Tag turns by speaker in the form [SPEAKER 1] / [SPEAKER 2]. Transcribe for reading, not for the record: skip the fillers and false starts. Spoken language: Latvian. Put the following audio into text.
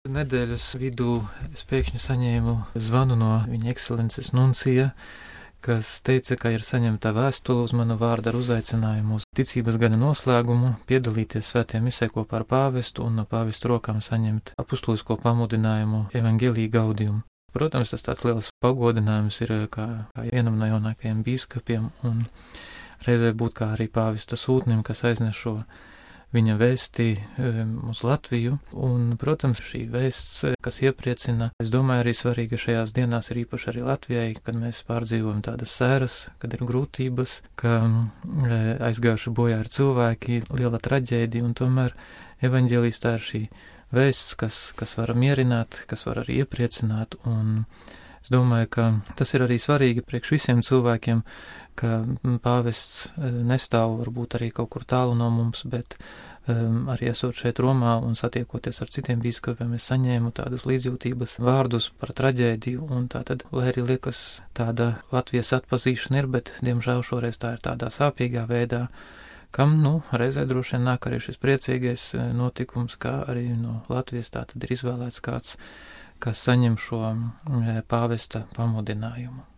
[SPEAKER 1] Nedēļas vidū es pēkšņi saņēmu zvanu no viņa ekscelences nuncija, kas teica, ka ir saņemta vēstule uz manu vārdu ar uzaicinājumu uz ticības gada noslēgumu, piedalīties svētajā misē kopā ar pāvestu un no pāvesta rokām saņemt apustulisko pamudinājumu Evangelii Gaudium. Protams, tas tāds liels pagodinājums ir kā vienam no jaunākajiem bīskapiem un reizē būt kā arī pāvesta sūtnim, kas aiznes šo viņa vēsti uz Latviju, un, protams, šī vēsts, kas iepriecina, es domāju, arī svarīga šajās dienās ir īpaši arī Latvijai, kad mēs pārdzīvojam tādas sēras, kad ir grūtības, ka aizgājuši bojā ir cilvēki, liela traģēdija, un tomēr evaņģēlijas tā ir šī vēsts, kas var mierināt, kas var arī iepriecināt, un es domāju, ka tas ir arī svarīgi priekš visiem cilvēkiem, ka pāvests nestāv varbūt arī kaut kur tālu no mums, bet arī esot šeit Romā un satiekoties ar citiem bīskapiem, es saņēmu tādas līdzjūtības vārdus par traģēdiju, un tātad, lai arī liekas tāda Latvijas atpazīšana ir, bet, diemžēl, šoreiz tā ir tādā sāpīgā veidā, kam, reizē droši vien nāk arī šis priecīgais notikums, kā arī no Latvijas tātad ir izvēlēts kāds, kas saņem šo pāvesta pamudinājumu.